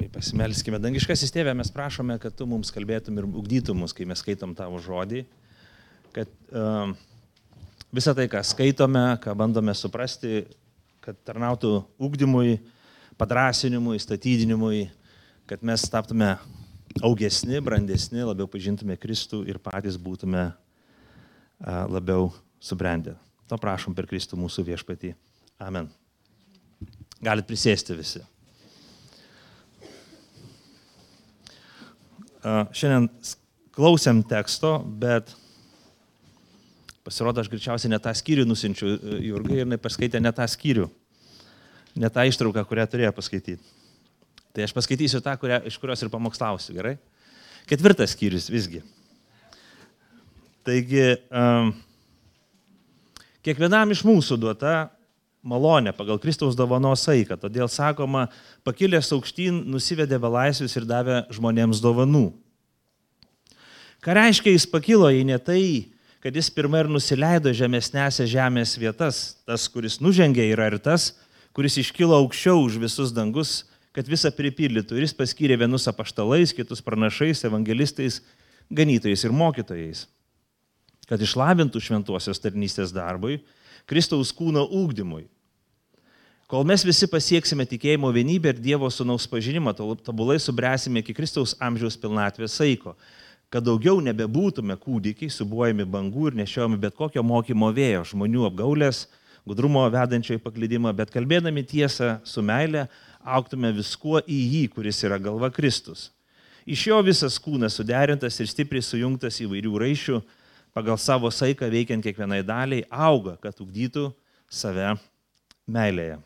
Pasimelskime. Dangiškasis Tėve, mes prašome, kad Tu mums kalbėtum ir ugdytum mus, kai mes skaitom Tavo žodį, kad visą tai, ką skaitome, ką bandome suprasti, kad tarnautų ugdymui, padrasinimui, statydinimui, kad mes taptume augesni, brandesni, labiau pažintume Kristų ir patys būtume labiau subrendę. To prašom per Kristų mūsų viešpatį. Amen. Galit prisėsti visi. Šiandien klausėm teksto, bet pasirodo, aš greičiausiai ne tą skyrių nusinčiu Jurgai ir jinai paskaitė ne tą skyrių, ne tą ištrauką, kurią turėjo paskaityti. Tai aš paskaitysiu tą, iš kurios ir pamokslausiu, gerai? 4 skyrius visgi. Taigi, kiekvienam iš mūsų duota malonė pagal Kristaus dovanos saiką. Todėl sakoma, pakilęs aukštyn nusivedė belaisvius ir davė žmonėms dovanų. Ką reiškia jis pakilo, jei ne tai, kad jis pirmai ir nusileido žemesnėse žemės vietas. Tas, kuris nužengė, yra ir tas, kuris iškilo aukščiau už visus dangus, kad visą pripildytų. Ir jis paskyrė vienus apaštalais, kitus pranašais, evangelistais, ganytojais ir mokytojais, kad išlavintų šventosios tarnystės darbui, Kristaus kūno ugdymui. Kol mes visi pasieksime tikėjimo vienybę ir Dievo sūnaus pažinimą, tobulai subręsime iki Kristaus amžiaus pilnatvės saiko, kad daugiau nebebūtume kūdikiai, siūbuojami bangų ir nešiojami bet kokio mokymo vėjo, žmonių apgaulės, gudrumo vedančio į paklydimą, bet kalbėdami tiesą su meile, augtume viskuo į jį, kuris yra galva Kristus. Iš jo visas kūnas suderintas ir stipriai sujungtas įvairių raiščių, pagal savo saiką veikiant kiekvienai daliai, auga, kad ugdytų save meilėje.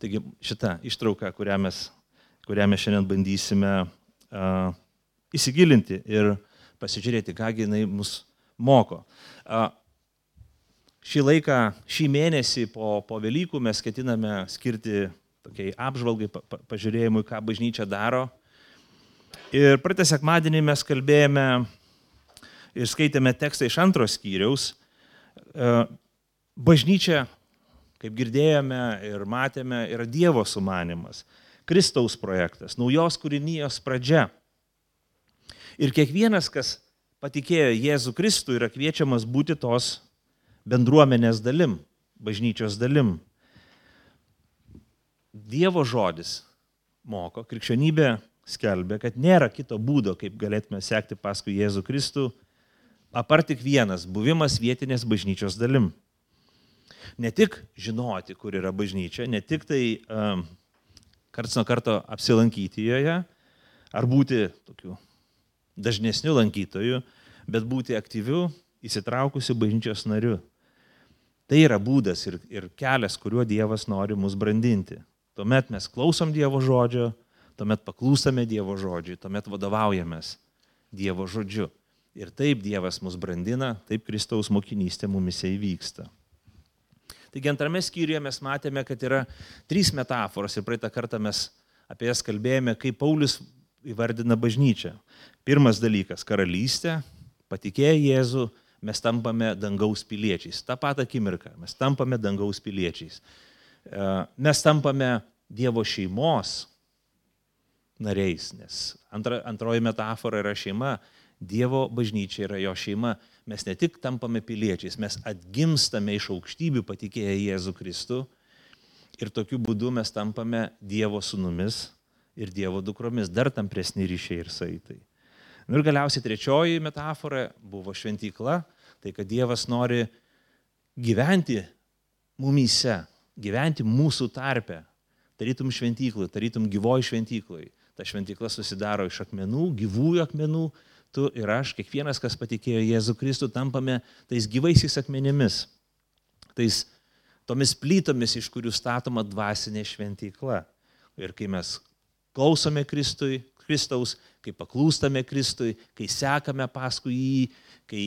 Taigi šitą ištrauką, kurią mes šiandien bandysime įsigilinti ir pasižiūrėti, kągi jinai mus moko. Šį laiką, šį mėnesį po Velykų mes ketiname skirti tokiai apžvalgai, pažiūrėjimui, ką bažnyčia daro. Ir praeitą sekmadienį mes kalbėjome ir skaitėme tekstą iš 2 skyriaus. Bažnyčia, kaip girdėjome ir matėme, yra Dievo sumanymas, Kristaus projektas, naujos kūrinijos pradžia. Ir kiekvienas, kas patikėjo Jėzų Kristų, yra kviečiamas būti tos bendruomenės dalim, bažnyčios dalim. Dievo žodis moko, krikščionybė skelbia, kad nėra kito būdo, kaip galėtume sekti paskui Jėzų Kristų, apart tik vienas – buvimas vietinės bažnyčios dalim. Ne tik žinoti, kur yra bažnyčia, ne tik tai karts nuo karto apsilankyti joje, ar būti tokiu dažnesniu lankytoju, bet būti aktyviu, įsitraukusiu bažnyčios nariu. Tai yra būdas ir kelias, kuriuo Dievas nori mus brandinti. Tuomet mes klausom Dievo žodžio, tuomet paklūstame Dievo žodžiui, tuomet vadovaujamės Dievo žodžiu. Ir taip Dievas mus brandina, taip Kristaus mokinystė mumise įvyksta. Taigi 2 skyriuje mes matėme, kad yra 3 metaforos ir praeitą kartą mes apie jas kalbėjome, kaip Paulius įvardina bažnyčią. Pirmas dalykas – karalystė, patikėję Jėzų, mes tampame dangaus piliečiais. Ta pat akimirka, mes tampame dangaus piliečiais. Mes tampame Dievo šeimos nariais, nes antroji metafora yra šeima. Dievo bažnyčia yra jo šeima. Mes ne tik tampame piliečiais, mes atgimstame iš aukštybių patikėję Jėzų Kristų ir tokiu būdu mes tampame Dievo sūnumis ir Dievo dukromis, dar tampresni ryšiai ir saitai. Ir galiausiai 3 metafora buvo šventykla, tai kad Dievas nori gyventi mumyse, gyventi mūsų tarpe, tarytum šventyklai, tarytum gyvoj šventyklai. Ta šventykla susidaro iš akmenų, gyvųjų akmenų. Tu ir aš, kiekvienas, kas patikėjo Jėzų Kristų, tampame tais gyvaisiais akmenimis, tomis plytomis, iš kurių statoma dvasinė šventykla. Ir kai mes klausome Kristaus, kai paklūstame Kristui, kai sekame paskui jį, kai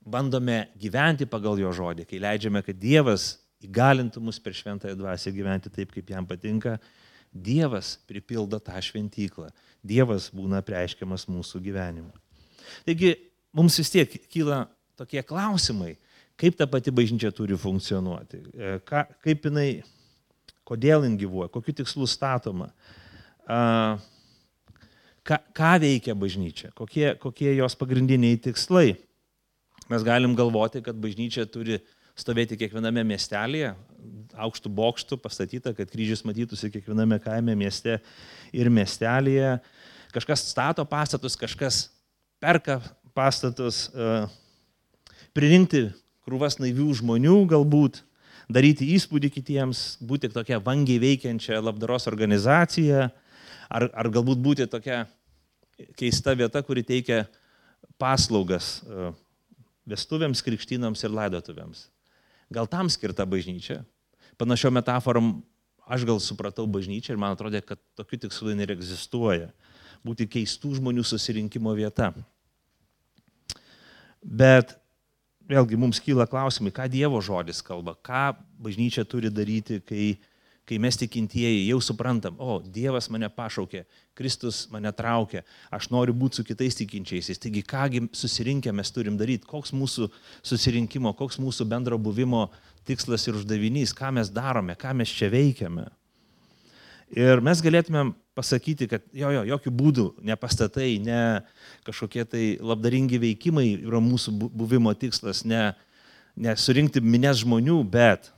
bandome gyventi pagal jo žodį, kai leidžiame, kad Dievas įgalintų mus per šventąją dvasią gyventi taip, kaip jam patinka, Dievas pripildo tą šventyklą. Dievas būna apreiškiamas mūsų gyvenimu. Taigi, mums vis tiek kyla tokie klausimai, kaip ta pati bažnyčia turi funkcionuoti, kaip jinai kodėl jin gyvuoja, kokiu tikslu statoma, ką veikia bažnyčia, kokie jos pagrindiniai tikslai. Mes galim galvoti, kad bažnyčia turi stovėti kiekviename miestelėje, aukštų bokštų pastatyta, kad kryžius matytųsi kiekviename kaime, mieste ir miestelėje. Kažkas stato pastatus, kažkas perka pastatus, pririnkti krūvas naivių žmonių galbūt, daryti įspūdį kitiems, būti tokia vangiai veikiančia labdaros organizacija, ar galbūt būti tokia keista vieta, kuri teikia paslaugas vestuvėms, krikštynams ir laidotuvėms. Gal tam skirta bažnyčia? Panašiom metaforom aš gal supratau bažnyčią ir man atrodė, kad tokių tikslų neegzistuoja. Būti keistų žmonių susirinkimo vieta. Bet vėlgi mums kyla klausimai, ką Dievo žodis kalba, ką bažnyčia turi daryti, kai mes tikintieji jau suprantam, Dievas mane pašaukė, Kristus mane traukė, aš noriu būti su kitais tikinčiaisiais. Taigi, kągi susirinkę mes turim daryti, koks mūsų susirinkimo, koks mūsų bendro buvimo tikslas ir uždavinys, ką mes darome, ką mes čia veikiame. Ir mes galėtumėm pasakyti, kad jokių būdų ne pastatai, ne kažkokie tai labdaringi veikimai yra mūsų buvimo tikslas, ne surinkti minias žmonių, bet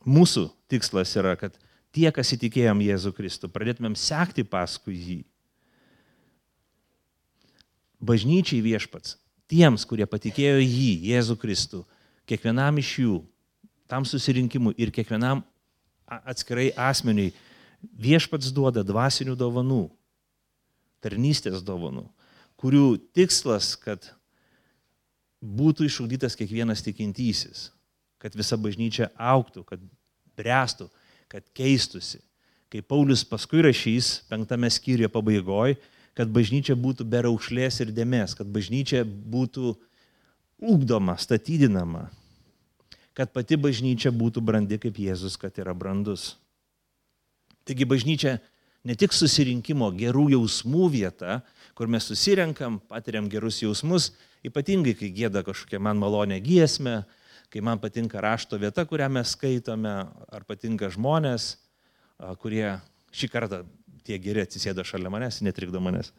mūsų tikslas yra, kad tie, kas įtikėjom Jėzų Kristų, pradėtumėm sekti paskui jį. Bažnyčiai viešpats, tiems, kurie patikėjo jį, Jėzų Kristų, kiekvienam iš jų, tam susirinkimui ir kiekvienam atskirai asmeniui, viešpats duoda dvasinių dovanų, tarnystės dovanų, kurių tikslas, kad būtų išugdytas kiekvienas tikintysis, kad visa bažnyčia augtų, kad bręstų, kad keistusi. Kaip Paulius paskui rašys 5 skyriuje pabaigoje, kad bažnyčia būtų be raukšlės ir dėmės, kad bažnyčia būtų ugdoma, statydinama, kad pati bažnyčia būtų brandi kaip Jėzus, kad yra brandus. Taigi bažnyčia ne tik susirinkimo gerų jausmų vieta, kur mes susirenkam, patiriam gerus jausmus, ypatingai kai gieda kažkokia man malonė giesmė, kai man patinka rašto vieta, kurią mes skaitome, ar patinka žmonės, kurie šį kartą tie geri atsisėdo šalia manęs, netrikdo manęs.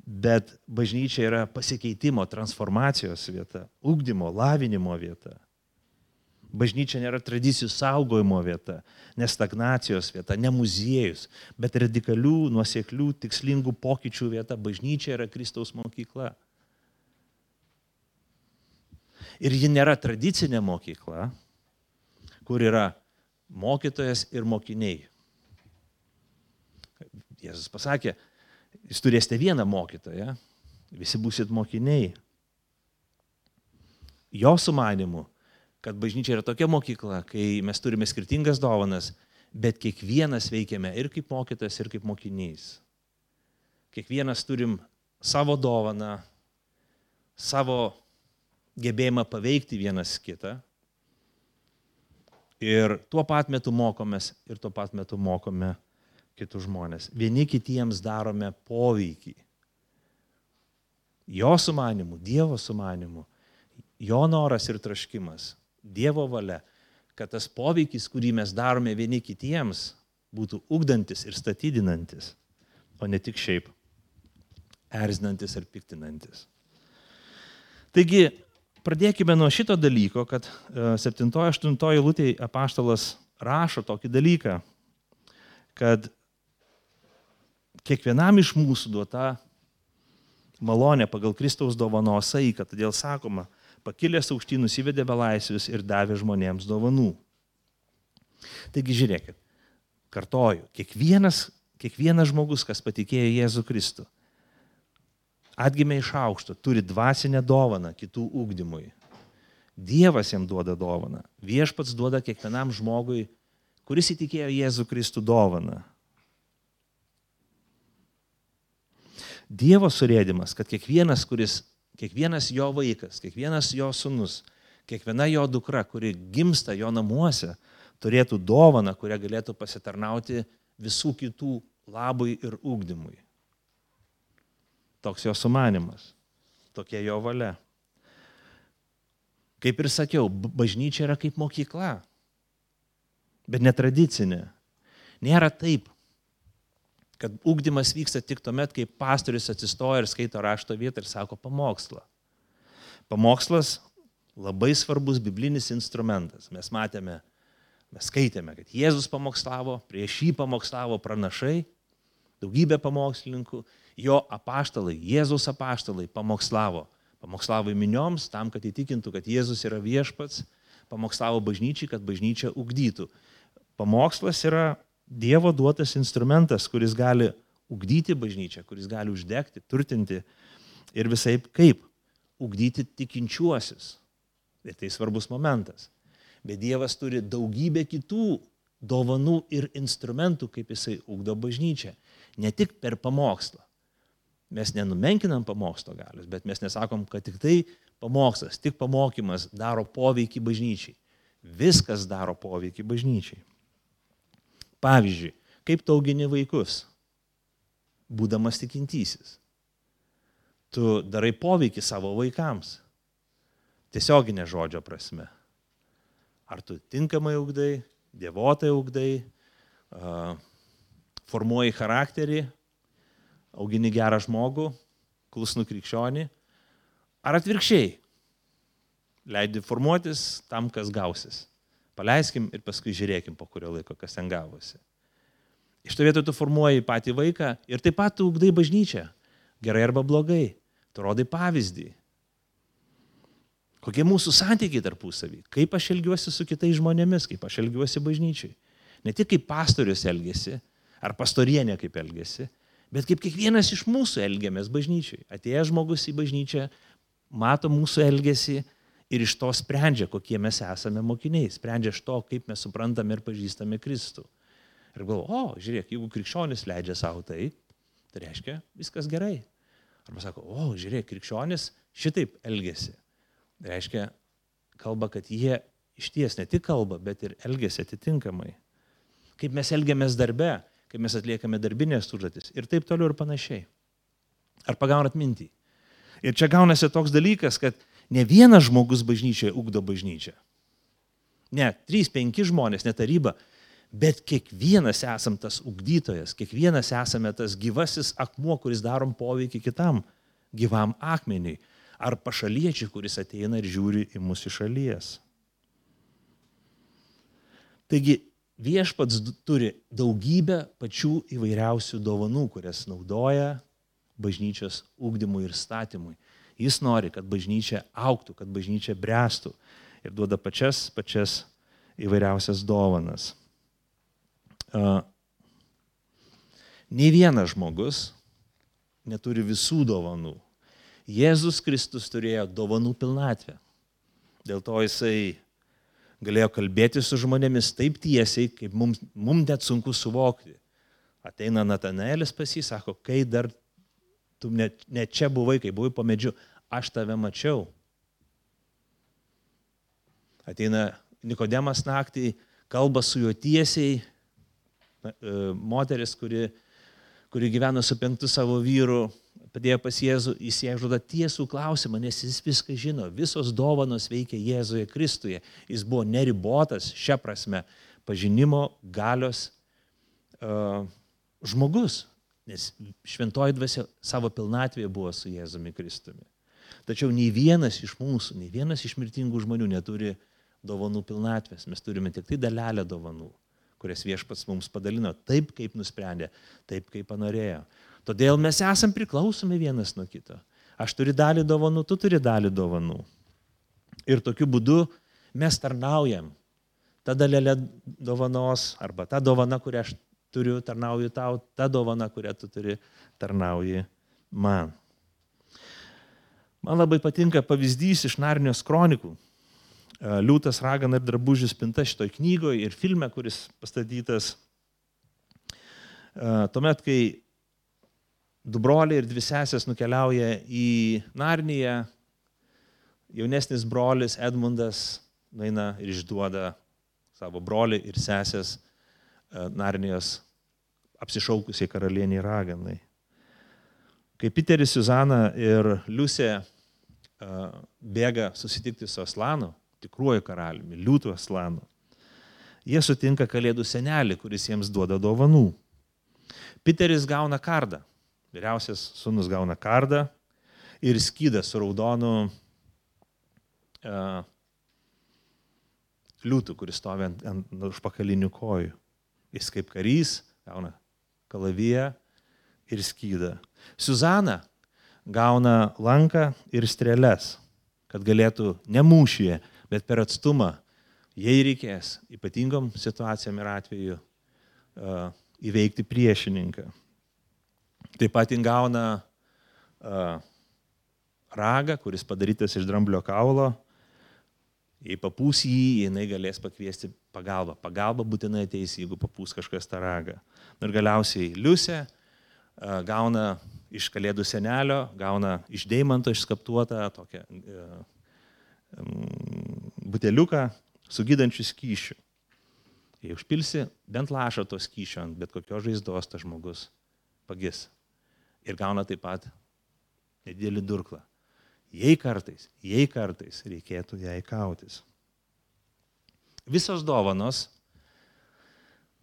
Bet bažnyčia yra pasikeitimo, transformacijos vieta, ugdymo, lavinimo vieta. Bažnyčia nėra tradicijų saugojimo vieta, ne stagnacijos vieta, ne muziejus, bet radikalių, nuoseklių, tikslingų pokyčių vieta. Bažnyčia yra Kristaus mokykla. Ir ji nėra tradicinė mokykla, kur yra mokytojas ir mokiniai. Jėzus pasakė, jūs turėsite vieną mokytoją, visi būsit mokiniai. Jo sumanymu, kad bažnyčia yra tokia mokykla, kai mes turime skirtingas dovanas, bet kiekvienas veikiame ir kaip mokytojas, ir kaip mokinys. Kiekvienas turim savo dovaną, savo gebėjimą paveikti vienas kitą ir tuo pat metu mokomės ir tuo pat metu mokome kitus žmonės. Vieni kitiems darome poveikį. Jo sumanimu, Dievo sumanimu, jo noras ir traškimas, Dievo valia, kad tas poveikis, kurį mes darome vieni kitiems, būtų ugdantis ir statydinantis, o ne tik šiaip erzinantis ar piktinantis. Taigi, pradėkime nuo šito dalyko, kad 7-8 eilutėje apaštalas rašo tokį dalyką, kad kiekvienam iš mūsų duota malonė pagal Kristaus dovanos saiką, todėl sakoma, pakilęs aukštyn nusivedė belaisvius ir davė žmonėms dovanų. Taigi žiūrėkit, kartoju, kiekvienas žmogus, kas patikėjo Jėzų Kristų, atgimė iš aukšto, turi dvasinę dovaną kitų ugdymui. Dievas jam duoda dovaną. Viešpats duoda kiekvienam žmogui, kuris įtikėjo Jėzų Kristų dovaną. Dievo surėdimas, kad kiekvienas jo vaikas, kiekvienas jo sūnus, kiekviena jo dukra, kuri gimsta jo namuose, turėtų dovaną, kurią galėtų pasitarnauti visų kitų labui ir ugdymui. Toks jo sumanimas, tokia jo valia. Kaip ir sakiau, bažnyčia yra kaip mokykla. bet netradicinė. Nėra taip, kad ugdymas vyksta tik tuomet, kai pastorius atsistoja ir skaito rašto vietą ir sako pamokslą. Pamokslas labai svarbus biblinis instrumentas. Mes skaitėme, kad Jėzus pamokslavo, prieš jį pamokslavo pranašai, daugybė pamokslininkų, jo apaštalai, Jėzaus apaštalai pamokslavo minioms tam, kad įtikintų, kad Jėzus yra viešpats, pamokslavo bažnyčiai, kad bažnyčia ugdytų. Pamokslas yra Dievo duotas instrumentas, kuris gali ugdyti bažnyčią, kuris gali uždegti, turtinti ir visai kaip ugdyti tikinčiuosius. Ir tai svarbus momentas. Bet Dievas turi daugybę kitų dovanų ir instrumentų, kaip jisai ugdo bažnyčią. Ne tik per pamokslą. Mes nenumenkinam pamokslo galios, bet mes nesakom, kad tik tai pamokslas, tik pamokymas daro poveikį bažnyčiai. Viskas daro poveikį bažnyčiai. Pavyzdžiui, kaip tu augini vaikus, būdamas tikintysis. Tu darai poveikį savo vaikams. Tiesioginė žodžio prasme. Ar tu tinkamai ugdai, dievotai ugdai, formuoji charakterį, augini gerą žmogų, klusnų krikščionį, ar atvirkščiai, leidi formuotis tam, kas gausis. Paleiskim ir paskui žiūrėkim, po kurio laiko, kas ten gavosi. Iš to vietoj tu formuoji patį vaiką ir taip pat tu ugdai bažnyčią, gerai arba blogai, tu rodai pavyzdį. Kokie mūsų santykiai tarpusavy, kaip aš elgiuosi su kitais žmonėmis, kaip aš elgiuosi bažnyčiai. Ne tik kaip pastorius elgiasi, ar pastorienė kaip elgiasi, bet kaip kiekvienas iš mūsų elgiamės bažnyčiai. Atėjęs žmogus į bažnyčią, mato mūsų elgesį ir iš to sprendžia, kokie mes esame mokiniai, sprendžia iš to, kaip mes suprantame ir pažįstame Kristų. Ir galvo, žiūrėk, jeigu krikščionis leidžia savo tai reiškia, viskas gerai. Arba sako, žiūrėk, krikščionis šitaip elgesi. Tai reiškia, kalba, kad jie išties ne tik kalba, bet ir elgesi atitinkamai. Kaip mes elgiamės darbe, kaip mes atliekame darbinės užduotis ir taip toliau ir panašiai. Ar pagaunat mintį? Ir čia gaunasi toks dalykas, kad ne vienas žmogus bažnyčioje ugdo bažnyčią. Ne, 3-5 žmonės, ne taryba, bet kiekvienas esam tas ugdytojas, kiekvienas esame tas gyvasis akmuo, kuris darom poveikį kitam gyvam akmeniui. Ar pašaliečiui, kuris ateina ir žiūri į mus iš šalies. Taigi viešpats turi daugybę pačių įvairiausių dovanų, kurias naudoja bažnyčios ugdymui ir statymui. Jis nori, kad bažnyčia augtų, kad bažnyčia bręstų ir duoda pačias įvairiausias dovanas. Nei vienas žmogus neturi visų dovanų. Jėzus Kristus turėjo dovanų pilnatvę. Dėl to jisai galėjo kalbėti su žmonėmis taip tiesiai, kaip mums net sunku suvokti. Ateina Natanaelis pas jį, sako, kai dar tu ne čia buvai, kai buvai po medžiu, aš tave mačiau. Ateina Nikodemas naktį, kalba su juo tiesiai, moteris, kuri gyveno su 5 savo vyru, padėjo pas Jėzų, jis jai užduoda tiesų klausimą, nes jis viską žino, visos dovanos veikia Jėzuje Kristuje. Jis buvo neribotas, šia prasme, pažinimo galios žmogus, nes šventoji dvasia savo pilnatvėje buvo su Jėzumi Kristumi. Tačiau nei vienas iš mūsų, nei vienas iš mirtingų žmonių neturi dovanų pilnatvės. Mes turime tik tai dalelę dovanų, kurias viešpats mums padalino taip, kaip nusprendė, taip, kaip panorėjo. Todėl mes esam priklausomi vienas nuo kito. Aš turiu dalį dovanų, tu turi dalį dovanų. Ir tokiu būdu mes tarnaujam. Ta dalelė dovanos, arba ta dovana, kurią aš turiu, tarnauju tau, ta dovana, kurią tu turi, tarnauji man. Man labai patinka pavyzdys iš Narnijos kronikų. Liūtas, ragana ir drabužių spinta šitoj knygoje ir filme, kuris pastatytas. Tuomet, kai 2 broliai ir 2 sesės nukeliauja į Narniją, jaunesnis brolis Edmundas nueina ir išduoda savo brolį ir sesės Narnijos apsišaukusiai karalieniai raganai. Kai Piteris, Suzana ir Liusė bėga susitikti su Aslanu, tikruoju karaliumi, liūtų Aslanu, jie sutinka Kalėdų senelį, kuris jiems duoda dovanų. Piteris gauna kardą. Vyriausias sūnus gauna kardą ir skydą su raudonu liūtų, kuris stovi ant užpakalinių kojų. Jis kaip karys gauna kalaviją ir skydą. Suzana gauna lanką ir strėles, kad galėtų ne mūšyje, bet per atstumą, jei reikės, ypatingom situacijom ir atveju įveikti priešininką. Taip pat jin gauna ragą, kuris padarytas iš dramblio kaulo. Jei papūs jį, jinai galės pakviesti pagalbą. Pagalba būtinai ateis, jeigu papūs kažkas tą ragą. Ir galiausiai Liusė gauna iš Kalėdų senelio, gauna iš deimanto išskaptuotą tokią buteliuką su gydančiu skysčiu. Jei užpilsi bent lašą to skysčio ant bet kokios žaizdos, tas žmogus pagis. Ir gauna taip pat nedidelį durklą. Jei kartais reikėtų jai kautis. Visos dovanos,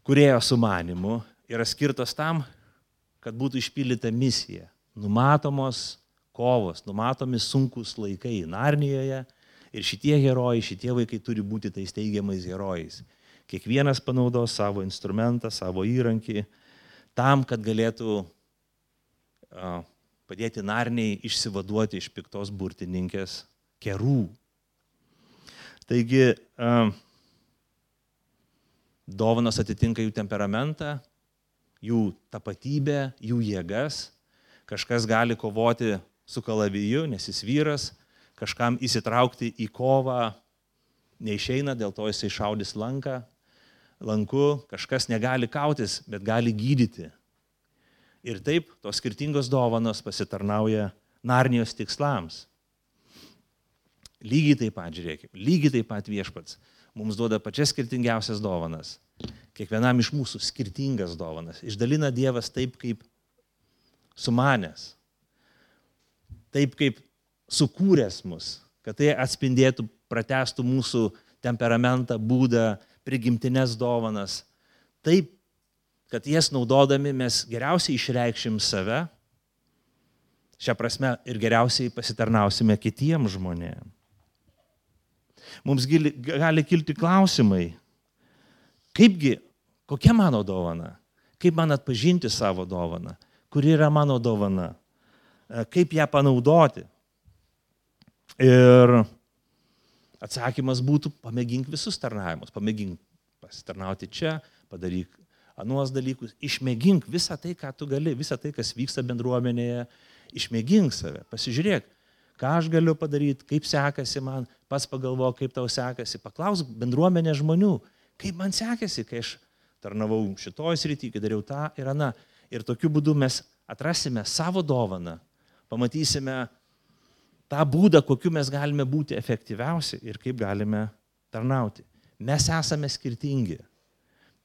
kūrėjo sumanymu, yra skirtos tam, kad būtų išpildyta misija. Numatomos kovos, numatomi sunkus laikai Narnijoje ir šitie herojai, šitie vaikai turi būti tais teigiamais herojais. Kiekvienas panaudos savo instrumentą, savo įrankį tam, kad galėtų padėti Narniai išsivaduoti iš piktos burtininkės kerų. Taigi, dovanos atitinka jų temperamentą, jų tapatybę, jų jėgas. Kažkas gali kovoti su kalaviju, nes jis vyras, kažkam įsitraukti į kovą neišeina, dėl to jisai šaudys lanku, kažkas negali kautis, bet gali gydyti. Ir taip tos skirtingos dovanos pasitarnauja Narnijos tikslams. Lygiai taip pat, žiūrėkime, lygiai taip pat Viešpats mums duoda pačias skirtingiausias dovanas. Kiekvienam iš mūsų skirtingas dovanas. Išdalina Dievas taip, kaip sumanęs, taip, kaip sukūręs mus, kad tai atspindėtų, pratęstų mūsų temperamentą, būdą, prigimtines dovanas. Taip, kad jas naudodami mes geriausiai išreikšim save, šią prasme ir geriausiai pasitarnausime kitiems žmonėms. Mums gali kilti klausimai, kokia mano dovana, kaip man atpažinti savo dovaną, kuri yra mano dovana, kaip ją panaudoti. Ir atsakymas būtų, pamėgink visus tarnavimus, pamėgink pasitarnauti čia, padaryk anuos dalykus, išmėgink visą tai, ką tu gali, visą tai, kas vyksta bendruomenėje, išmėgink save, pasižiūrėk, ką aš galiu padaryti, kaip sekasi man, pats pagalvok, kaip tau sekasi, paklausk bendruomenė žmonių, kaip man sekasi, kai aš tarnavau šitoj srity, kai dariau tą ir aną. Ir tokiu būdu mes atrasime savo dovaną, pamatysime tą būdą, kokiu mes galime būti efektyviausi ir kaip galime tarnauti. Mes esame skirtingi.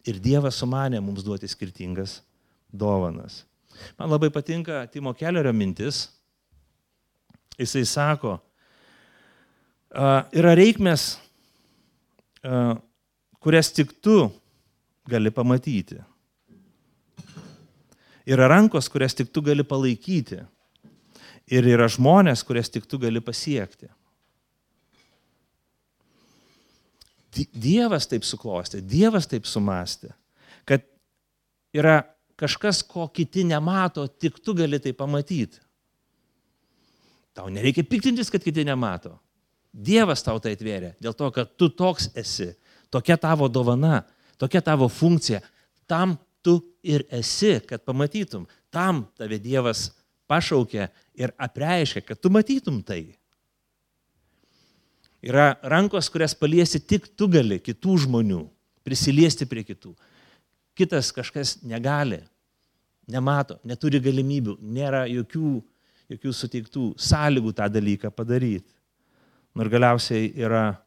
Ir Dievas sumanė mums duoti skirtingas dovanas. Man labai patinka Timo Kellerio mintis. Jisai sako, yra reikmės, kurias tik tu gali pamatyti. Yra rankos, kurias tik tu gali palaikyti. Ir yra žmonės, kurias tik tu gali pasiekti. Dievas taip suklostė, Dievas taip sumastė, kad yra kažkas, ko kiti nemato, tik tu gali tai pamatyti. Tau nereikia piktintis, kad kiti nemato. Dievas tau tai atvėrė, dėl to, kad tu toks esi, tokia tavo dovana, tokia tavo funkcija, tam tu ir esi, kad pamatytum, tam tave Dievas pašaukė ir apreiškė, kad tu matytum tai. Yra rankos, kurias paliesti tik tu gali, kitų žmonių, prisiliesti prie kitų. Kitas kažkas negali, nemato, neturi galimybių, nėra jokių suteiktų sąlygų tą dalyką padaryti. Ir galiausiai yra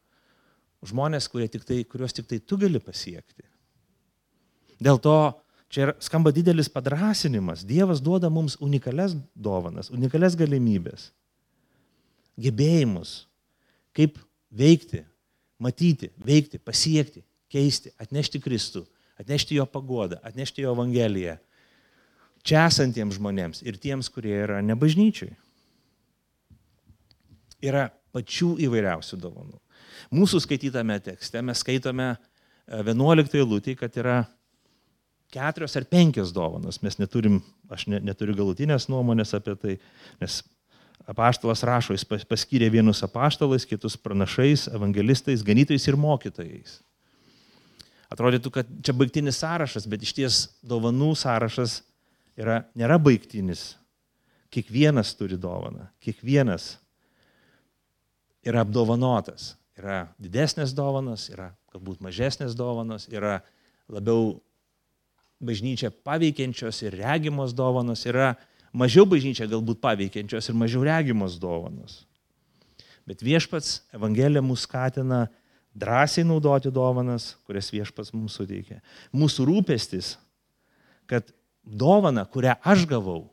žmonės, kuriuos tik tai tu gali pasiekti. Dėl to čia skamba didelis padrąsinimas. Dievas duoda mums unikalias dovanas, unikalias galimybės, gebėjimus, kaip veikti, matyti, veikti, pasiekti keisti, atnešti Kristų, atnešti jo paguodą, atnešti jo Evangeliją čia esantiems žmonėms ir tiems, kurie yra ne bažnyčiai. Yra pačių įvairiausių dovanų. Mūsų skaitytame tekste mes skaitome 11 eilutėje, kad yra 4 ar 5 dovanos. Aš neturiu galutinės nuomonės apie tai, nes apaštalas rašo, jis paskyrė vienus apaštalais, kitus pranašais, evangelistais, ganytojais ir mokytojais. Atrodytų, kad čia baigtinis sąrašas, bet iš ties dovanų sąrašas nėra baigtinis. Kiekvienas turi dovaną, kiekvienas yra apdovanotas. Yra didesnės dovanos, yra galbūt mažesnės dovanos, yra labiau bažnyčią paveikiančios ir regimos dovanos, yra mažiau bažnyčią galbūt paveikiančios ir mažiau regimos dovanos. Bet viešpats Evangelija mus skatina drąsiai naudoti dovanas, kurias viešpats mums suteikia. Mūsų rūpestis, kad dovana, kurią aš gavau,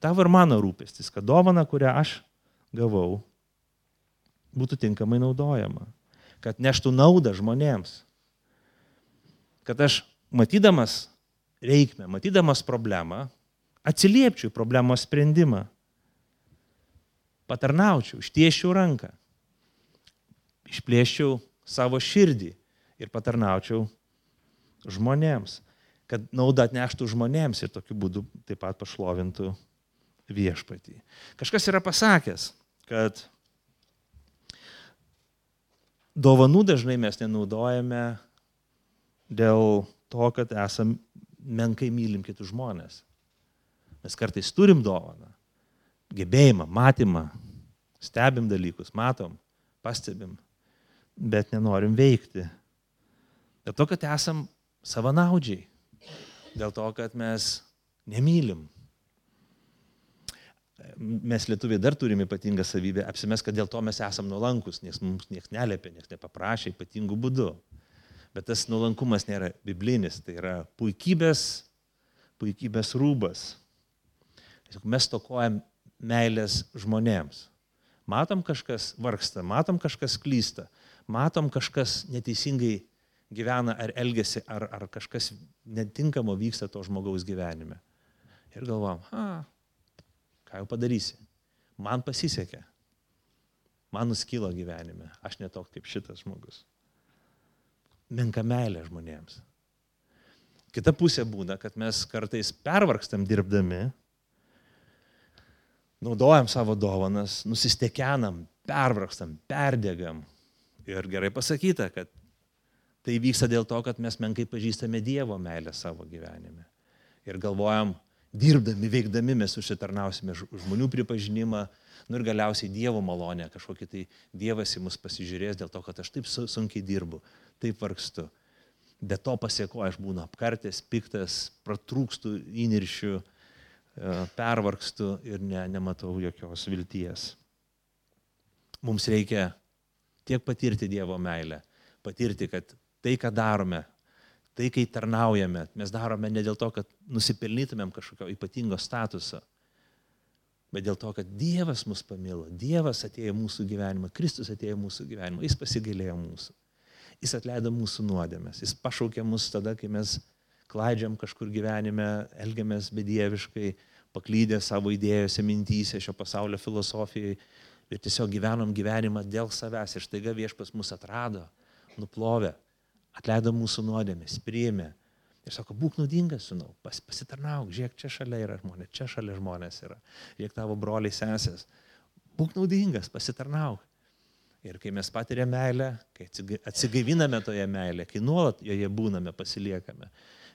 tavo ir mano rūpestis, kad dovana, kurią aš gavau, būtų tinkamai naudojama, kad neštų naudą žmonėms, kad aš matydamas reikmę, matydamas problemą, atsiliepčiau į problemos sprendimą, patarnaučiau, ištiesčiau ranką, išplėščiau savo širdį ir patarnaučiau žmonėms, kad naudą atneštų žmonėms ir tokiu būdu taip pat pašlovintų viešpatį. Kažkas yra pasakęs, kad dovanų dažnai mes nenaudojame dėl to, kad esam menkai mylim kitus žmonės. Mes kartais turim dovaną, gebėjimą, matymą, stebim dalykus, matom, pastebim, bet nenorim veikti. Dėl to, kad esam savanaudžiai, dėl to, kad mes nemylim. Mes lietuviai dar turim ypatingą savybę apsimes, kad dėl to mes esam nuolankus, nes mums niekas neliepė, niekas nepaprašė ypatingų būdų. Bet tas nuolankumas nėra biblinis, tai yra puikybės rūbas. Mes stokojam meilės žmonėms. Matom kažkas vargsta, matom kažkas klysta, matom kažkas neteisingai gyvena ar elgiasi, ar kažkas netinkamo vyksta to žmogaus gyvenime. Ir galvom, ką jau padarysi? Man pasisekė. Man nuskilo gyvenime. Aš netok kaip šitas žmogus. Menka meilė žmonėms. Kita pusė būna, kad mes kartais pervargstam dirbdami, naudojam savo dovanas, nusistekenam, pervargstam, perdegam. Ir gerai pasakyta, kad tai vyksta dėl to, kad mes menkai pažįstame Dievo meilę savo gyvenime. Ir galvojam, dirbdami, veikdami mes užsitarnausime žmonių pripažinimą, ir galiausiai Dievo malonę, kažkokį tai Dievas į mus pasižiūrės dėl to, kad aš taip sunkiai dirbu, taip vargstu. Be to pasieko aš būnu apkartęs, piktas, pratrūkstu įniršiu, pervargstu ir nematau jokios vilties. Mums reikia tiek patirti Dievo meilę, patirti, kad tai, ką darome, tai, kai tarnaujame, mes darome ne dėl to, kad nusipelnytumėm kažkokio ypatingo statuso, bet dėl to, kad Dievas mus pamilo, Dievas atėjo į mūsų gyvenimą, Kristus atėjo į mūsų gyvenimą, Jis pasigailėjo mūsų, Jis atleido mūsų nuodėmes, Jis pašaukė mus tada, kai mes klaidžiam kažkur gyvenime, elgiamės bedieviškai, paklydę savo idėjose, mintyse, šio pasaulio filosofijai ir tiesiog gyvenom gyvenimą dėl savęs ir staiga Viešpats mus atrado, nuplovė, atleido mūsų nuodėmes, priėmė ir sako, būk naudingas, sūnau, pasitarnauk, žiūrėk, čia šalia yra žmonės, čia šalia žmonės yra, žiūrėk tavo broliai sesės, būk naudingas, pasitarnauk. Ir kai mes patiriame meilę, kai atsigaiviname toje meilė, kai nuolat joje būname, pasiliekame,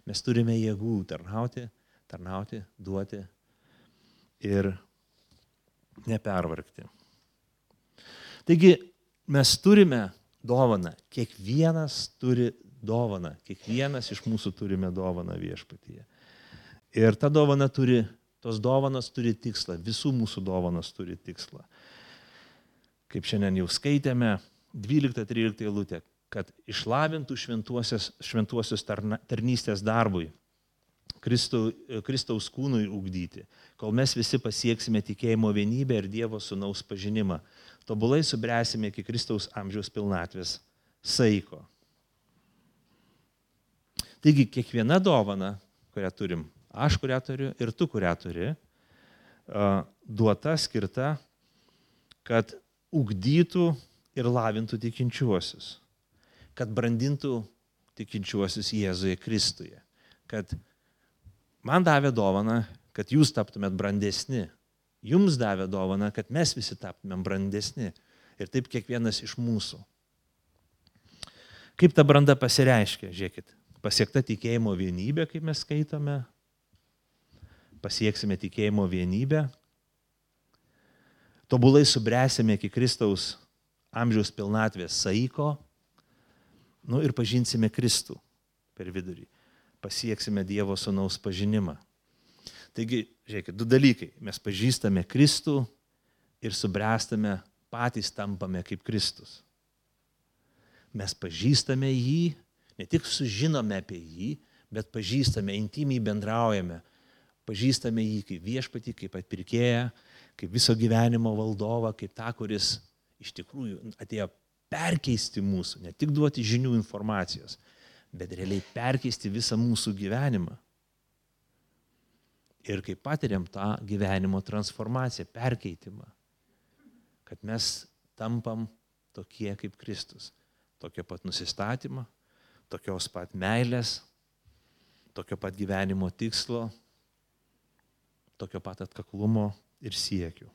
mes turime jėgų tarnauti, duoti ir nepervargti. Taigi mes turime dovaną, kiekvienas turi dovaną, kiekvienas iš mūsų turime dovaną Viešpatyje. Ir ta dovana tos dovanos turi tikslą, visų mūsų dovanos turi tikslą. Kaip šiandien jau skaitėme, 12-13 eilutė, kad išlavintų šventuosius tarnystės darbui, Kristaus kūnui ugdyti, kol mes visi pasieksime tikėjimo vienybę ir Dievo sūnaus pažinimą, tobulai subręsime iki Kristaus amžiaus pilnatvės saiko. Taigi kiekviena dovana, kurią turim, aš kurią turiu ir tu kurią turi, duota, skirta, kad ugdytų ir lavintų tikinčiuosius, kad brandintų tikinčiuosius Jėzuje Kristuje, kad man davė dovaną, kad jūs taptumėt brandesni, jums davė dovaną, kad mes visi taptumėm brandesni ir taip kiekvienas iš mūsų. Kaip ta branda pasireiškia, žiūrėkit, pasiekta tikėjimo vienybė, kaip mes skaitome, pasieksime tikėjimo vienybę, tobulai subręsime iki Kristaus amžiaus pilnatvės saiko, ir pažinsime Kristų per vidurį, pasieksime Dievo Sūnaus pažinimą. Taigi, žiūrėkit, du dalykai, mes pažįstame Kristų ir subręstame, patys tampame kaip Kristus. Mes pažįstame jį, ne tik sužinome apie jį, bet pažįstame, intymiai bendraujame, pažįstame jį kaip viešpatį, kaip atpirkėją, kaip viso gyvenimo valdovą, kaip tą, kuris iš tikrųjų atėjo perkeisti mūsų, ne tik duoti žinių informacijos, bet realiai perkeisti visą mūsų gyvenimą. Ir kaip patiriam tą gyvenimo transformaciją, perkeitimą, kad mes tampam tokie kaip Kristus. Tokio pat nusistatymą, tokios pat meilės, tokio pat gyvenimo tikslo, tokio pat atkaklumo ir siekių.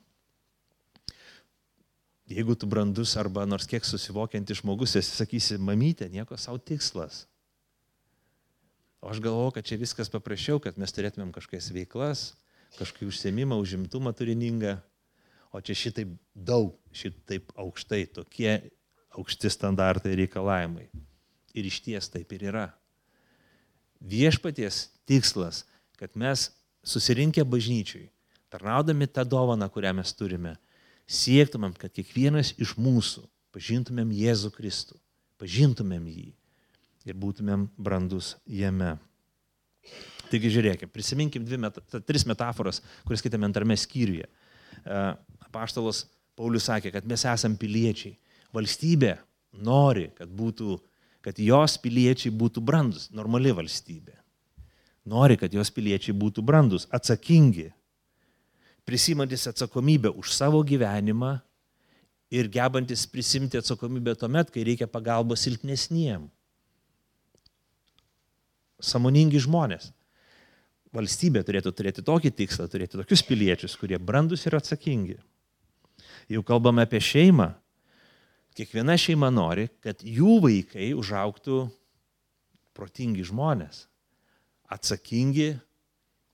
Jeigu tu brandus arba nors kiek susivokiantis žmogus, esi sakysi, mamytė, nieko savo tikslas. O aš galvoju, kad čia viskas paprasčiau, kad mes turėtumėm kažkokias veiklas, kažkokį užsiėmimą, užimtumą turiningą, o čia šitaip daug, šitaip aukštai, tokie aukšti standartai reikalavimai. Ir išties taip ir yra. Viešpaties tikslas, kad mes susirinkę bažnyčiui, tarnaudami tą dovaną, kurią mes turime, siektumėm, kad kiekvienas iš mūsų pažintumėm Jėzų Kristų, pažintumėm jį ir būtumėm brandus jame. Taigi žiūrėkime, prisiminkim tris metaforas, kurias skaitėme antrame skyriuje. Apaštalas Paulius sakė, kad mes esam piliečiai. Valstybė nori, kad jos piliečiai būtų brandus, normali valstybė. Nori, kad jos piliečiai būtų brandus, atsakingi, prisimantis atsakomybę už savo gyvenimą ir gebantis prisimti atsakomybę tuomet, kai reikia pagalbos silpnesniem. Sąmoningi žmonės. Valstybė turėtų turėti tokį tikslą, turėti tokius piliečius, kurie brandus ir atsakingi. Jau kalbame apie šeimą. Kiekviena šeima nori, kad jų vaikai užaugtų protingi žmonės, atsakingi,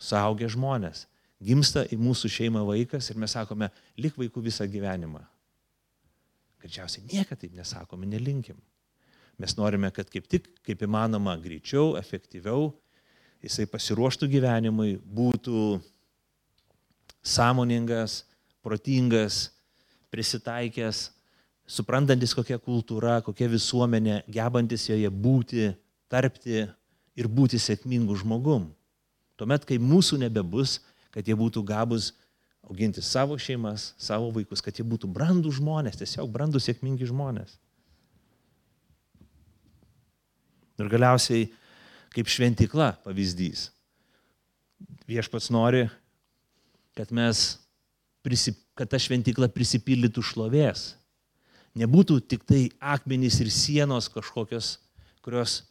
suaugę žmonės. Gimsta į mūsų šeimą vaikas ir mes sakome, lik vaikų visą gyvenimą. Greičiausiai niekada taip nesakome, nelinkim. Mes norime, kad kaip įmanoma greičiau, efektyviau, jisai pasiruoštų gyvenimui, būtų sąmoningas, protingas, prisitaikęs, suprantantis kokia kultūra, kokia visuomenė, gebantis joje būti, tarpti ir būti sėkmingų žmogum. Tuomet, kai mūsų nebebus, kad jie būtų gabūs auginti savo šeimas, savo vaikus, kad jie būtų brandų žmonės, tiesiog brandų sėkmingi žmonės. Ir galiausiai, kaip šventykla pavyzdys, Viešpats nori, kad ta šventykla prisipildytų šlovės. Nebūtų tik tai akmenys ir sienos kažkokios, kurios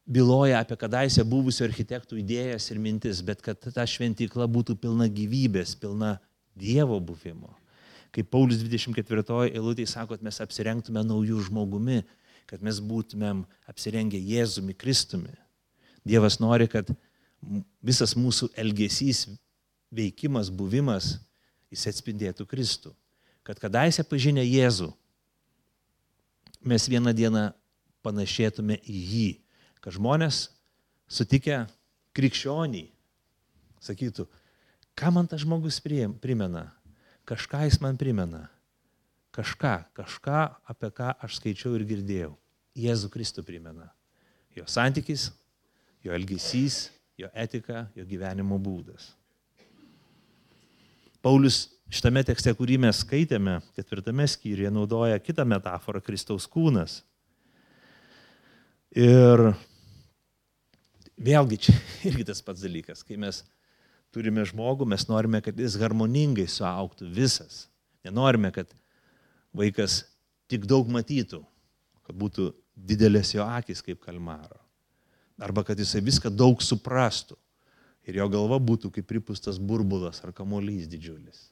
byloja apie kadaise buvusių architektų idėjas ir mintis, bet kad ta šventykla būtų pilna gyvybės, pilna Dievo buvimo. Kaip Paulius 24 eilutėje sako, kad mes apsirengtume naujų žmogumi, kad mes būtumėm apsirengę Jėzumi Kristumi. Dievas nori, kad visas mūsų elgesys, veikimas, buvimas, jis atspindėtų Kristų. Kad kadaise pažinę Jėzų, mes vieną dieną panašėtume į jį. Kad žmonės sutikę krikščionį sakytų, ką man tas žmogus primena, kažką jis man primena, kažką, apie ką aš skaičiau ir girdėjau. Jėzų Kristų primena. Jo santykis, jo elgesys, jo etika, jo gyvenimo būdas. Paulius šitame tekste, kurį mes skaitėme, 4 skyriuje, naudoja kitą metaforą, Kristaus kūnas. Ir Vėlgi čia irgi tas pats dalykas, kai mes turime žmogų, mes norime, kad jis harmoningai suaugtų visas. Nenorime, kad vaikas tik daug matytų, kad būtų didelės jo akis kaip kalmaro. Arba kad jisai viską daug suprastų ir jo galva būtų kaip pripūstas burbulas ar kamuolys didžiulis.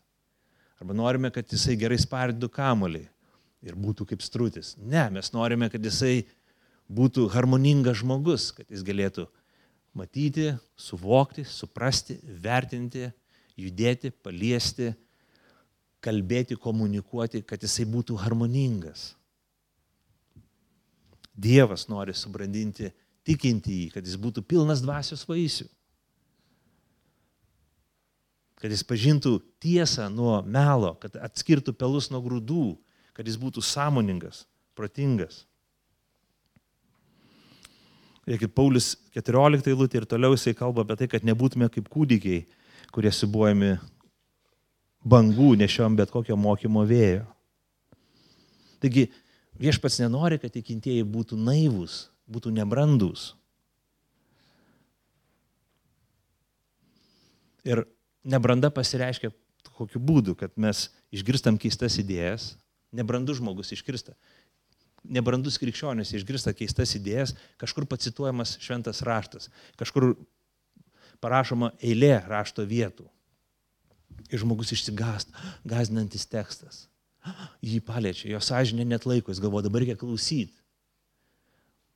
Arba norime, kad jisai gerai spardytų kamuolį ir būtų kaip strutis. Ne, mes norime, kad jisai būtų harmoningas žmogus, kad jis galėtų matyti, suvokti, suprasti, vertinti, judėti, paliesti, kalbėti, komunikuoti, kad jisai būtų harmoningas. Dievas nori subrandinti tikinti jį, kad jis būtų pilnas dvasios vaisių. Kad jis pažintų tiesą nuo melo, kad atskirtų pelus nuo grūdų, kad jis būtų sąmoningas, protingas. Kaip Paulius 14 eilutė ir toliau jisai kalba apie tai, kad nebūtume kaip kūdikiai, kurie siūbuojami bangų, nešiom bet kokio mokymo vėjo. Taigi viešpats nenori, kad tikintieji būtų naivūs, būtų nebrandūs. Ir nebranda pasireiškia kokiu būdu, kad mes išgirstam keistas idėjas, nebrandus žmogus išgirsta. Nebrandus krikščionis išgirsta keistas idėjas, kažkur pacituojamas šventas raštas, kažkur parašoma eilė rašto vietų. Ir žmogus išsigąsta, gąsdinantis tekstas. Jį paliečia, jo sąžinė net laiko, jis galvoja, dabar reikia klausyti.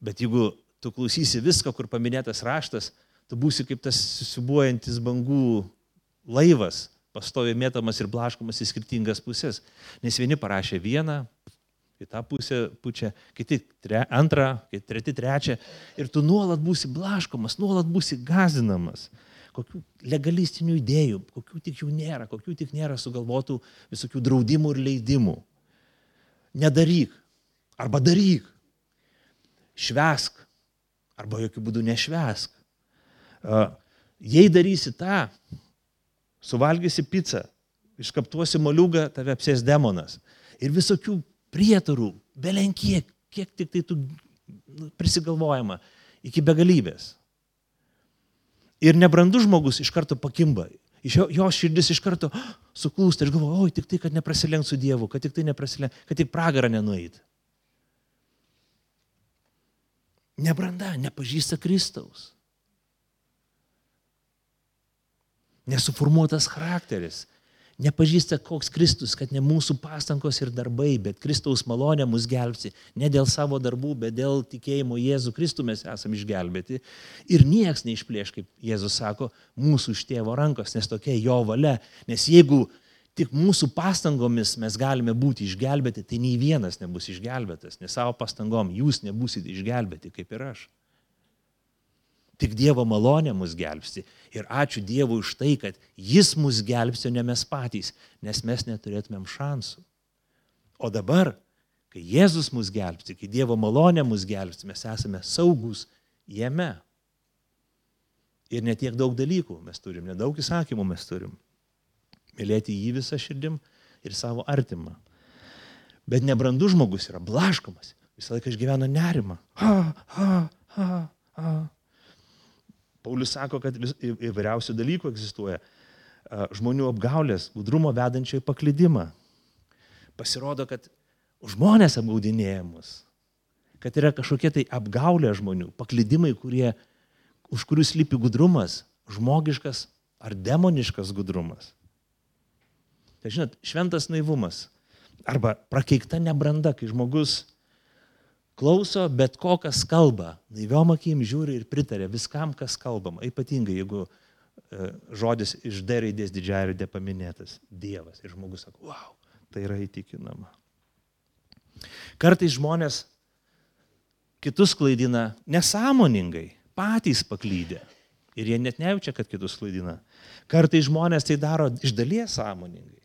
Bet jeigu tu klausysi viską, kur paminėtas raštas, tu būsi kaip tas susibuojantis bangų laivas, pastoviai mėtamas ir blaškomas į skirtingas pusės. Nes vieni parašė vieną, į tą pusę pučia, kiti antrą, treti trečią. Ir tu nuolat būsi blaškomas, nuolat būsi gąsdinamas. Kokių legalistinių idėjų, kokių tik nėra sugalvotų visokių draudimų ir leidimų. Nedaryk, arba daryk. Švęsk, arba jokių būdų nešvęsk. Jei darysi tą, suvalgysi pizzą, iškaptuosi moliūgą, tave apsės demonas. Ir visokių prietarų, belenkiek, kiek tik tai tu prisigalvojama, iki begalybės. Ir nebrandus žmogus iš karto pakimba. Jo širdis iš karto suklūsta. Aš galvoju, oi, tik tai, kad neprasilenk su Dievu, kad tik pragarą nenueit. Nebranda, nepažįsta Kristaus. Nesuformuotas charakteris. Nepažįsta koks Kristus, kad ne mūsų pastangos ir darbai, bet Kristaus malonė mus gelbsti. Ne dėl savo darbų, bet dėl tikėjimo Jėzų Kristų mes esame išgelbėti. Ir nieks neišplėš, kaip Jėzus sako, mūsų iš tėvo rankos, nes tokia jo valia. Nes jeigu tik mūsų pastangomis mes galime būti išgelbėti, tai nei vienas nebus išgelbėtas. Nes savo pastangom jūs nebusite išgelbėti, kaip ir aš. Tik Dievo malonė mus gelbsti. Ir ačiū Dievui už tai, kad Jis mus gelbsti, o ne mes patys, nes mes neturėtumėm šansų. O dabar, kai Jėzus mus gelbsti, kai Dievo malonė mus gelbsti, mes esame saugus jame. Ir ne tiek daug dalykų mes turim, nedaug įsakymų mes turim. Mylėti jį visą širdim ir savo artimą. Bet nebrandus žmogus yra blaškomas, visą laiką išgyvena nerimą. Paulius sako, kad įvairiausių dalykų egzistuoja. Žmonių apgaulės, gudrumo vedančio į paklydimą. Pasirodo, kad žmonės apgaudinėja mus. Kad yra kažkokie tai apgaulė žmonių, paklydimai, už kurių slypi gudrumas, žmogiškas ar demoniškas gudrumas. Tai žinot, šventas naivumas arba prakeikta nebranda, kai žmogus klauso bet ko, kas kalba, naiviom akim žiūri ir pritarė viskam, kas kalbama. Ypatingai, jeigu žodis iš D raidės didžiąją raidę paminėtas Dievas. Ir žmogus sako, wow, tai yra įtikinama. Kartais žmonės kitus klaidina nesąmoningai, patys paklydę. Ir jie net nejaučia, kad kitus klaidina. Kartais žmonės tai daro iš dalies sąmoningai.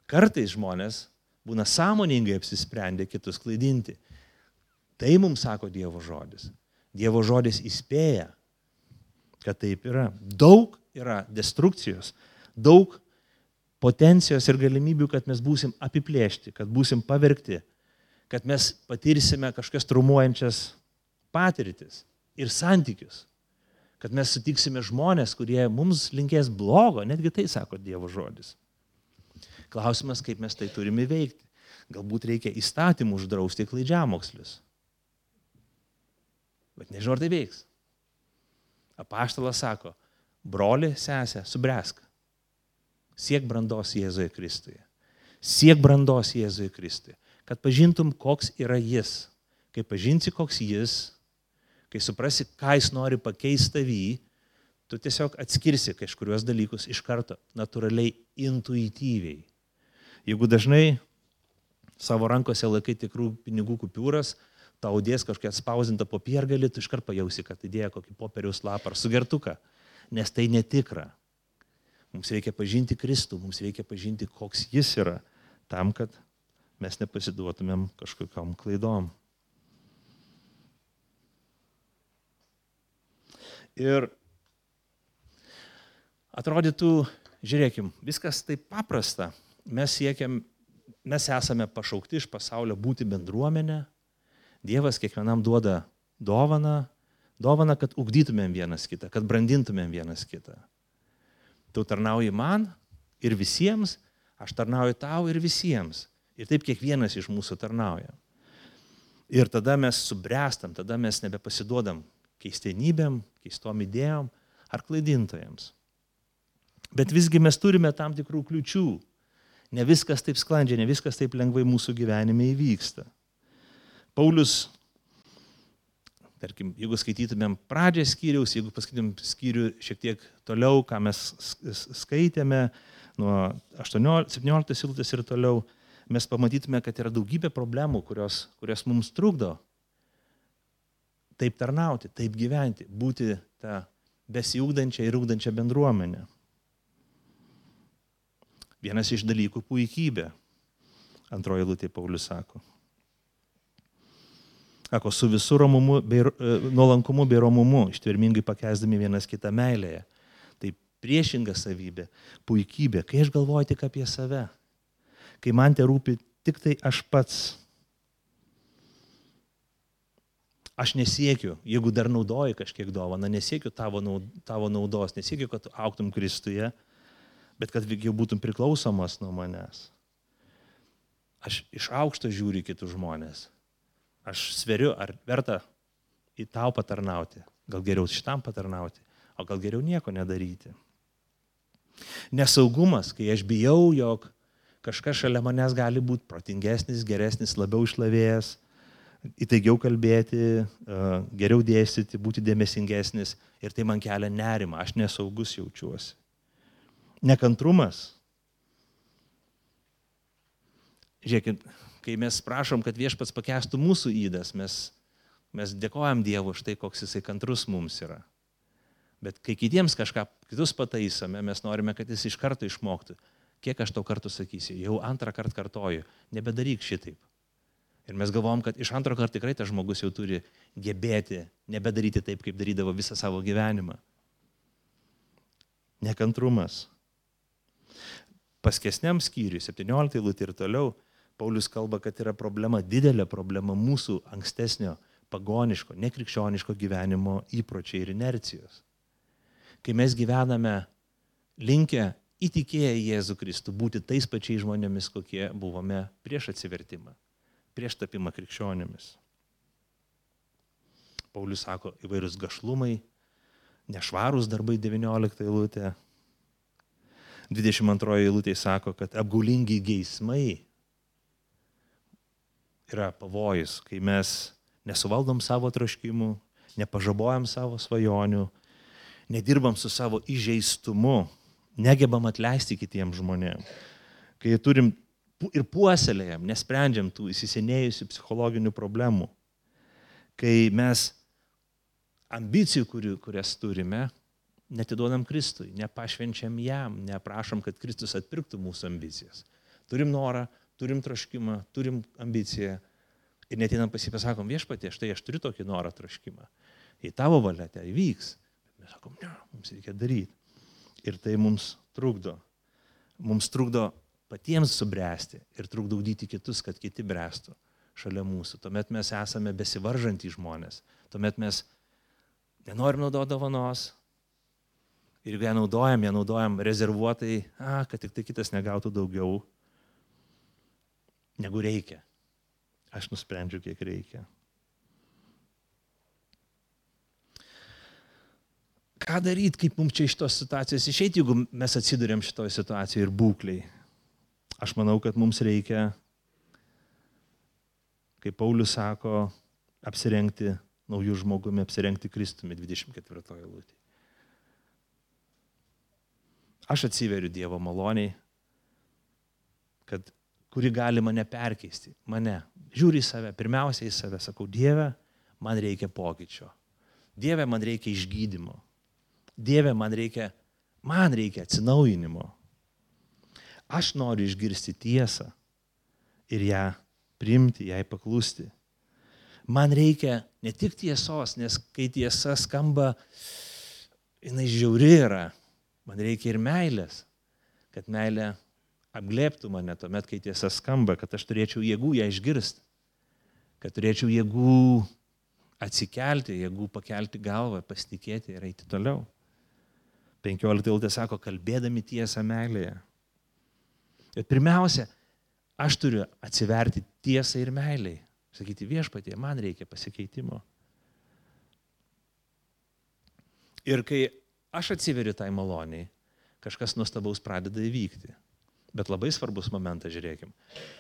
Kartais žmonės būna sąmoningai apsisprendę kitus klaidinti. Tai mums sako Dievo žodis. Dievo žodis įspėja, kad taip yra. Daug yra destrukcijos, daug potencijos ir galimybių, kad mes būsim apiplėšti, kad būsim pavergti, kad mes patirsime kažkokias traumuojančias patirtis ir santykius. kad mes sutiksime žmonės, kurie mums linkės blogo, netgi tai sako Dievo žodis. Klausimas, kaip mes tai turime veikti. Galbūt reikia įstatymų uždrausti klaidžiamokslius. Bet nežinau, ar tai veiks. Apaštalas sako, broli, sesė, subręsk. Siek brandos Jėzuje Kristuje. Siek brandos Jėzuje Kristuje. Kad pažintum, koks yra jis. Kai pažinsi, koks jis, kai suprasi, ką jis nori pakeisti tavį, tu tiesiog atskirsi kažkurios dalykus iš karto, natūraliai, intuityviai. Jeigu dažnai savo rankose laikai tikrų pinigų kupiūras, tau dės kažkokia atspausdinta popiergalį, tu iškart pajausi, kad įdėjo kokį popieriaus lapą ar sugertuką, nes tai netikra. Mums reikia pažinti Kristų, mums reikia pažinti, koks jis yra, tam, kad mes nepasiduotumėm kažkokiom klaidom. Ir atrodytų, žiūrėkim, viskas taip paprasta. Mes esame pašaukti iš pasaulio būti bendruomenė. Dievas kiekvienam duoda dovaną, kad ugdytumėm vienas kitą, kad brandintumėm vienas kitą. Tu tarnauji man ir visiems, aš tarnauju tau ir visiems. Ir taip kiekvienas iš mūsų tarnauja. Ir tada mes subręstam, tada mes nebepasiduodam keistenybėm, keistom idėjom ar klaidintojams. Bet visgi mes turime tam tikrų kliučių. Ne viskas taip sklandžiai, ne viskas taip lengvai mūsų gyvenime įvyksta. Paulius, tarkim, jeigu skaitytumėm pradžią skyriaus, jeigu paskaitytumėm skyrių šiek tiek toliau, ką mes skaitėme, nuo 17 eilutės ir toliau, mes pamatytume, kad yra daugybė problemų, kurios mums trukdo taip tarnauti, taip gyventi, būti tą besiugdančią ir ugdančią bendruomenę. Vienas iš dalykų - puikybė. Antroji eilutė Paulius sako. Sako, su visų nuolankumu bei romumu, ištvermingai pakęsdami vienas kitą meilėje. Tai priešinga savybė, puikybė, kai aš galvoju tik apie save, kai man te rūpi tik tai aš pats. Aš nesiekiu, jeigu dar naudoji kažkiek dovaną, nesiekiu tavo naudos, nesiekiu, kad augtum Kristuje, bet kad jau būtum priklausomas nuo manęs. Aš iš aukšto žiūriu kitus žmonės. Aš sveriu, ar verta į tau patarnauti, gal geriau šitam patarnauti, o gal geriau nieko nedaryti. Nesaugumas, kai aš bijau, jog kažkas šalia manęs gali būti protingesnis, geresnis, labiau išlavėjęs, įtaigiau kalbėti, geriau dėstyti, būti dėmesingesnis ir tai man kelia nerimą, aš nesaugus jaučiuosi. Nekantrumas. Žiūrėkit, kai mes prašom, kad Viešpats pakęstų mūsų ydas, mes dėkojam Dievui už tai, koks jisai kantrus mums yra. Bet kai kitus pataisome, mes norime, kad jis iš karto išmoktų. Kiek aš tau kartų sakysiu, jau antrą kartą kartoju, nebedaryk šitaip. Ir mes galvom, kad iš antro karto tikrai tas žmogus jau turi gebėti nebedaryti taip, kaip darydavo visą savo gyvenimą. Nekantrumas. Paskesniam skyriui, 17 eilutė ir toliau, Paulius kalba, kad yra problema, didelė problema mūsų ankstesnio pagoniško, nekrikščioniško gyvenimo įpročiai ir inercijos. Kai mes gyvename linkę įtikėję į Jėzų Kristų, būti tais pačiais žmonėmis, kokie buvome prieš atsivertimą, prieš tapimą krikščionimis. Paulius sako, įvairūs gašlumai, nešvarūs darbai 19 eilutė. 22 eilutė sako, kad apgaulingi geismai yra pavojus, kai mes nesuvaldom savo troškimų, nepažabojam savo svajonių, nedirbam su savo įžeistumu, negebam atleisti kitiems žmonėms. Kai turim ir puoselėjam, nesprendžiam tų įsisenėjusių psichologinių problemų. Kai mes ambicijų, kurias turime, netiduodam Kristui, nepašvenčiam jam, neprašom, kad Kristus atpirktų mūsų ambicijas. Turim norą, turim troškimą, turim ambiciją ir netinam pasipasakom, Viešpatie, štai aš turiu tokį norą, troškimą. Jei tavo valia tai įvyks, bet mes sakom, ne, mums reikia daryti. Ir tai mums trukdo. Mums trukdo patiems subręsti ir trukdo ugdyti kitus, kad kiti bręstų šalia mūsų. Tuomet mes esame besivaržantys žmonės. Tuomet mes Nenorim naudoti dovanos. Ir jeigu ją naudojam rezervuotai, kad tik tai kitas negautų daugiau, negu reikia. Aš nusprendžiu, kiek reikia. Ką daryti, kaip mums čia iš tos situacijos išeiti, jeigu mes atsidurėm šitoje situacijoje ir būkliai? Aš manau, kad mums reikia, kaip Paulius sako, apsirengti naujų žmogumi, apsirengti Kristumi 24 eilutėje. Aš atsiveriu Dievo maloniai, kuri gali mane perkeisti. Mane. Žiūri į save, pirmiausia į save, sakau, Dieve, man reikia pokyčio. Dieve, man reikia išgydymo. Dieve, man reikia atsinaujinimo. Aš noriu išgirsti tiesą ir ją priimti, jai paklusti. Man reikia ne tik tiesos, nes kai tiesa skamba, jinai žiauri yra. Man reikia ir meilės, kad meilė apglėbtų mane tuomet, kai tiesa skamba, kad aš turėčiau jėgų ją išgirsti, kad turėčiau jėgų atsikelti, jėgų pakelti galvą, pasitikėti ir eiti toliau. 15 eilutė sako, kalbėdami tiesą meilėje. Ir pirmiausia, aš turiu atsiverti tiesą ir meiliai. Sakyti, Viešpatie, man reikia pasikeitimo. Ir kai aš atsiveriu tai maloniai, kažkas nuostabaus pradeda įvykti. Bet labai svarbus momentas, žiūrėkim,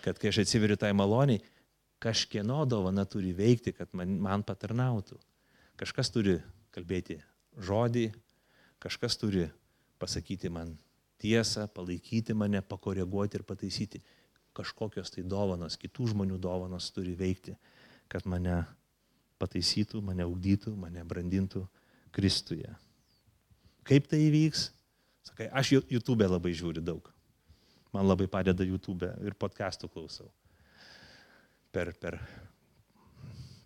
kad kai aš atsiveriu tai maloniai, kažkieno dovana turi veikti, kad man patarnautų. Kažkas turi kalbėti žodį, kažkas turi pasakyti man tiesą, palaikyti mane, pakoreguoti ir pataisyti. Kažkokios tai dovanos, kitų žmonių dovanos turi veikti, kad mane pataisytų, mane ugdytų, mane brandintų Kristuje. Kaip tai įvyks? Sakai, aš YouTube labai žiūriu daug. Man labai padeda YouTube ir podcastų klausau.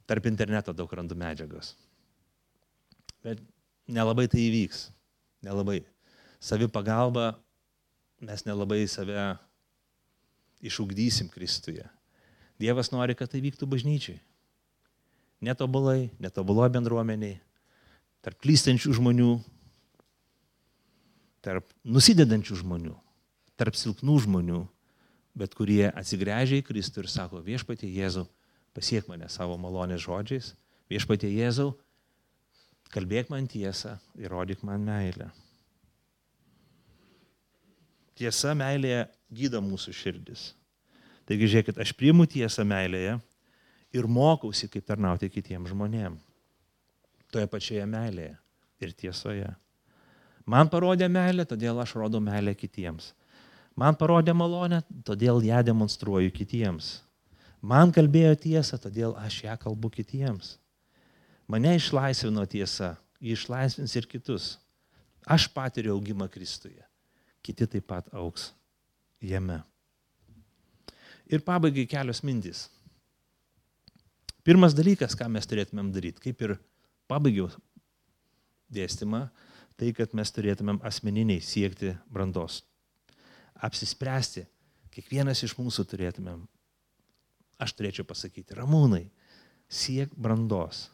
Tarp interneto daug randu medžiagos. Bet nelabai tai įvyks. Nelabai. Savipagalba, mes nelabai save išugdysim Kristuje. Dievas nori, kad tai vyktų bažnyčiai. Netobulai, netobuloje bendruomeniai, tarp klystančių žmonių, tarp nusidedančių žmonių, tarp silpnų žmonių, bet kurie atsigręžia į Kristų ir sako, Viešpatie Jėzau, pasiek mane savo malonės žodžiais, Viešpatie Jėzau, kalbėk man tiesą ir rodyk man meilę. Tiesa meilėje gydo mūsų širdis. Taigi žiūrėkit, aš priimu tiesą meilėje ir mokausi, kaip tarnauti kitiems žmonėms. Toje pačioje meilėje ir tiesoje. Man parodė meilę, todėl aš rodau meilę kitiems. Man parodė malonę, todėl ją demonstruoju kitiems. Man kalbėjo tiesą, todėl aš ją kalbu kitiems. Mane išlaisvino tiesa, ji išlaisvins ir kitus. Aš patiriu augimą Kristuje. Kiti taip pat augs jame. Ir pabaigai kelios mintys. Pirmas dalykas, ką mes turėtumėm daryti, kaip ir pabaigiau dėstymą, tai, kad mes turėtumėm asmeniniai siekti brandos. Apsispręsti, kiekvienas iš mūsų turėtumėm, aš turėčiau pasakyti, Ramūnai, siek brandos.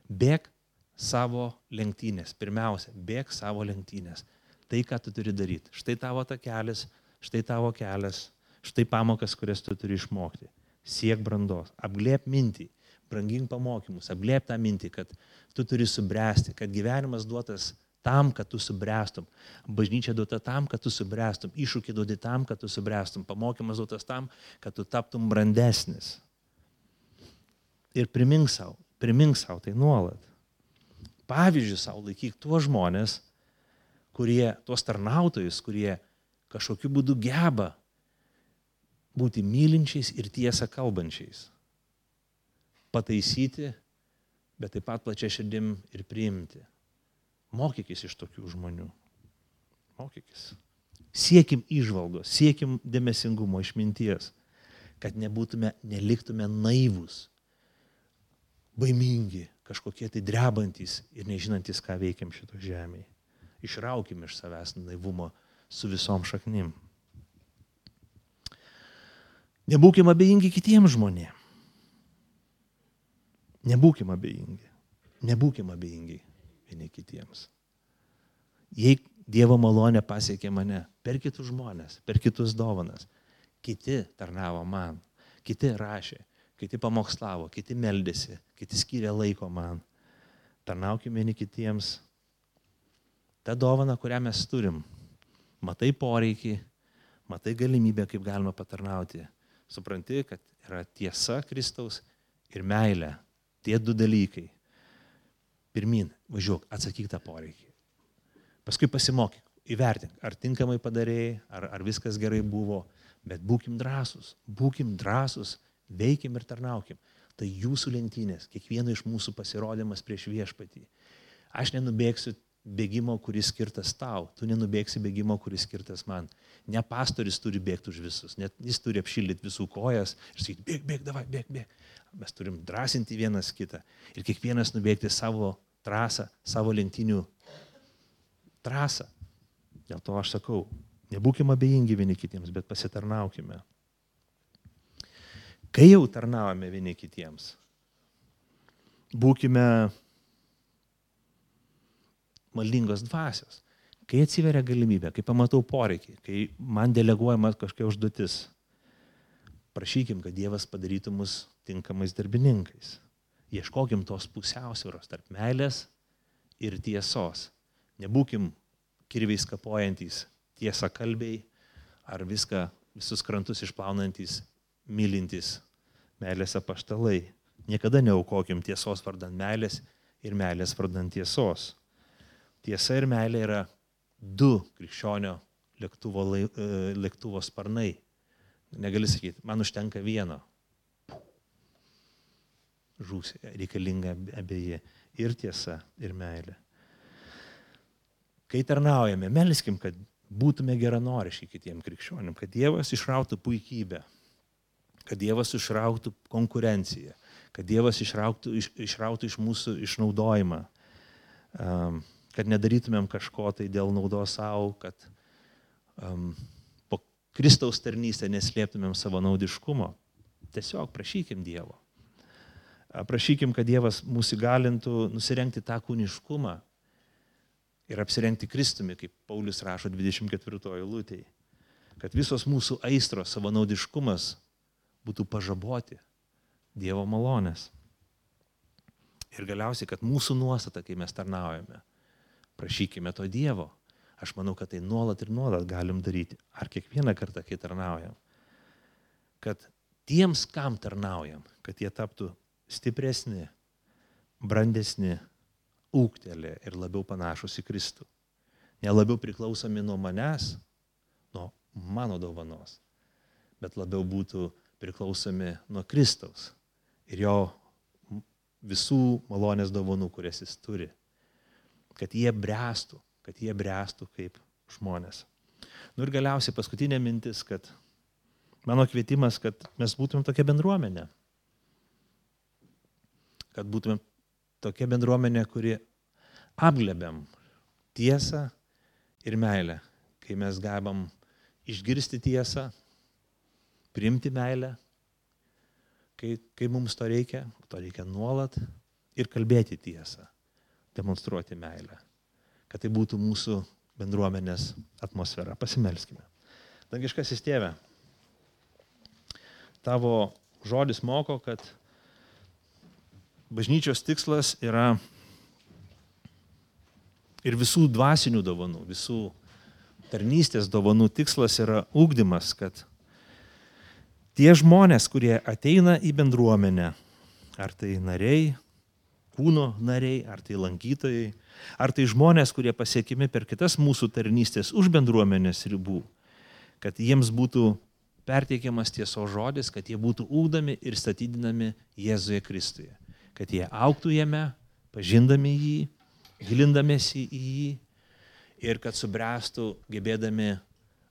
Bėk savo lenktynės. Pirmiausia, bėk savo lenktynės. Tai, ką tu turi daryti. Štai tavo takelis, štai tavo kelias, štai pamokas, kurias tu turi išmokti. Siek brandos. Apglėp mintį, brangink pamokymus, apglėp tą mintį, kad tu turi subręsti, kad gyvenimas duotas tam, kad tu subręstum. Bažnyčia duota tam, kad tu subręstum. Iššūkį duodi tam, kad tu subręstum. Pamokymas duotas tam, kad tu taptum brandesnis. Ir primink savo tai nuolat. Pavyzdžiui, savo laikyk tuos žmonės, tuos tarnautojus, kurie kažkokiu būdu geba būti mylinčiais ir tiesą kalbančiais. Pataisyti, bet taip pat plačia širdim ir priimti. Mokykis iš tokių žmonių. Mokykis. Siekim įžvalgos, siekim dėmesingumo, išminties, kad neliktume naivūs, baimingi, kažkokie tai drebantys ir nežinantys, ką veikiam šito žemėje. Išraukim iš savęs naivumo su visom šaknim. Nebūkim abejingi kitiems žmonėms. Nebūkim abejingi. vieni kitiems. Jei Dievo malonė pasiekė mane per kitus žmonės, per kitus dovanas, kiti tarnavo man, kiti rašė, kiti pamokslavo, kiti meldėsi, kiti skyrė laiko man. Tarnaukime vieni kitiems. Ta dovana, kurią mes turim, matai poreikį, matai galimybę, kaip galima patarnauti. Supranti, kad yra tiesa Kristaus ir meilė. Tie du dalykai. Pirmin, važiuok, atsakyk tą poreikį. Paskui pasimokyk, įvertink, ar tinkamai padarėjai, ar viskas gerai buvo, bet būkim drąsus, veikim ir tarnaukim. Tai jūsų lenktynės, kiekvieno iš mūsų pasirodymas prieš viešpatį. Aš nenubėgsiu bėgimo, kuris skirtas tau, tu nenubėgsi bėgimo, kuris skirtas man. Ne pastoris turi bėgti už visus, net jis turi apšildyti visų kojas ir sakyti, bėg, davai, bėg. Mes turim drąsinti vienas kitą ir kiekvienas nubėgti savo trasą, savo lenktynių trasą. Dėl to aš sakau, nebūkime abejingi vieni kitiems, bet pasitarnaukime. Kai jau tarnaujame vieni kitiems, būkime maldingos dvasios. Kai atsiveria galimybė, kai pamatau poreikį, kai man deleguojama kažkokia užduotis, prašykim, kad Dievas padarytų mus tinkamais darbininkais. Ieškokim tos pusiausvyros tarp meilės ir tiesos. Nebūkim kirviais kapojantys tiesakalbiai ar visus krantus išplaunantys, mylintys meilės apaštalai. Niekada neaukokim tiesos vardan meilės ir meilės vardan tiesos. Tiesa ir meilė yra du krikščionio lėktuvo sparnai. Negali sakyti, man užtenka vieno. Žūsi, reikalinga abeji ir tiesa, ir meilė. Kai tarnaujame, melskim, kad būtume geranoriški kitiem krikščionim, kad Dievas išrautų puikybę, kad Dievas išrautų konkurenciją, kad Dievas išrautų iš mūsų išnaudojimą, kad nedarytumėm kažko tai dėl naudos savo, kad po Kristaus tarnystę neslėptumėm savo naudiškumo. Tiesiog prašykim Dievo. Prašykim, kad Dievas mūsų įgalintų nusirengti tą kūniškumą ir apsirengti Kristumi, kaip Paulius rašo 24 eilutėje. Kad visos mūsų aistros, savanaudiškumas būtų pažaboti Dievo malonės. Ir galiausiai, kad mūsų nuostata, kai mes tarnaujame, prašykime to Dievo. Aš manau, kad tai nuolat ir nuolat galim daryti. Ar kiekvieną kartą, kai tarnaujam. Kad tiems, kam tarnaujam, kad jie taptų stipresni, brandesni, ūgtelė ir labiau panašus į Kristų. Nelabiau priklausomi nuo manęs, nuo mano dovanos, bet labiau būtų priklausomi nuo Kristaus ir jo visų malonės dovanų, kurias jis turi. Kad jie bręstų kaip žmonės. Ir galiausiai paskutinė mintis, kad mano kvietimas, kad mes būtumėm tokia bendruomenė. Kad būtumėm tokia bendruomenė, kuri apglėbiam tiesą ir meilę. Kai mes gebam išgirsti tiesą, priimti meilę, kai mums to reikia nuolat ir kalbėti tiesą, demonstruoti meilę. Kad tai būtų mūsų bendruomenės atmosfera. Pasimelskime. Dangiškasis Tėve, tavo žodis moko, kad bažnyčios tikslas yra ir visų dvasinių dovanų, visų tarnystės dovanų tikslas yra ugdymas, kad tie žmonės, kurie ateina į bendruomenę, ar tai nariai, kūno nariai, ar tai lankytojai, ar tai žmonės, kurie pasiekimi per kitas mūsų tarnystės už bendruomenės ribų, kad jiems būtų perteikiamas tiesos žodis, kad jie būtų ugdomi ir statydinami Jėzuje Kristuje. Kad jie augtų jame, pažindami jį, gilindamėsi į jį ir kad subręstų gebėdami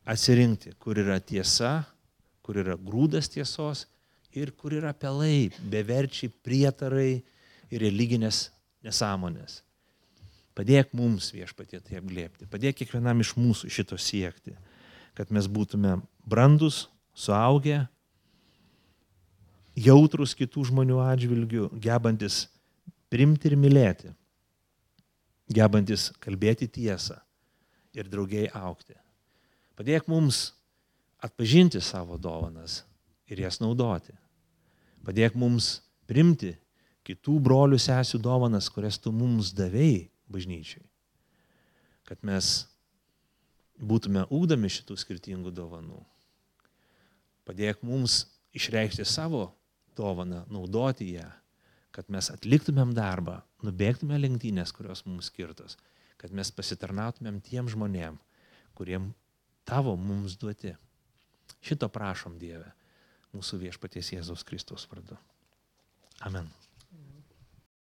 atsirinkti, kur yra tiesa, kur yra grūdas tiesos ir kur yra pelai, beverčiai, prietarai ir religinės nesąmonės. Padėk mums, Viešpatie, tai apglėbti. Padėk kiekvienam iš mūsų šito siekti, kad mes būtume brandus, suaugę, jautrus kitų žmonių atžvilgių, gebantis priimti ir mylėti. gebantis kalbėti tiesą ir draugiai augti. Padėk mums atpažinti savo dovanas ir jas naudoti. Padėk mums primti kitų brolių sesių dovanas, kurias tu mums davėjai bažnyčiai. Kad mes būtume ugdomi šitų skirtingų dovanų. Padėk mums išreikšti savo dovaną, naudoti ją, kad mes atliktumėm darbą, nubėgtume lenktynės, kurios mums skirtos, kad mes pasitarnautumėm tiem žmonėm, kuriem tavo mums duoti. Šito prašom, Dieve, mūsų viešpaties Jėzaus Kristaus vardu. Amen.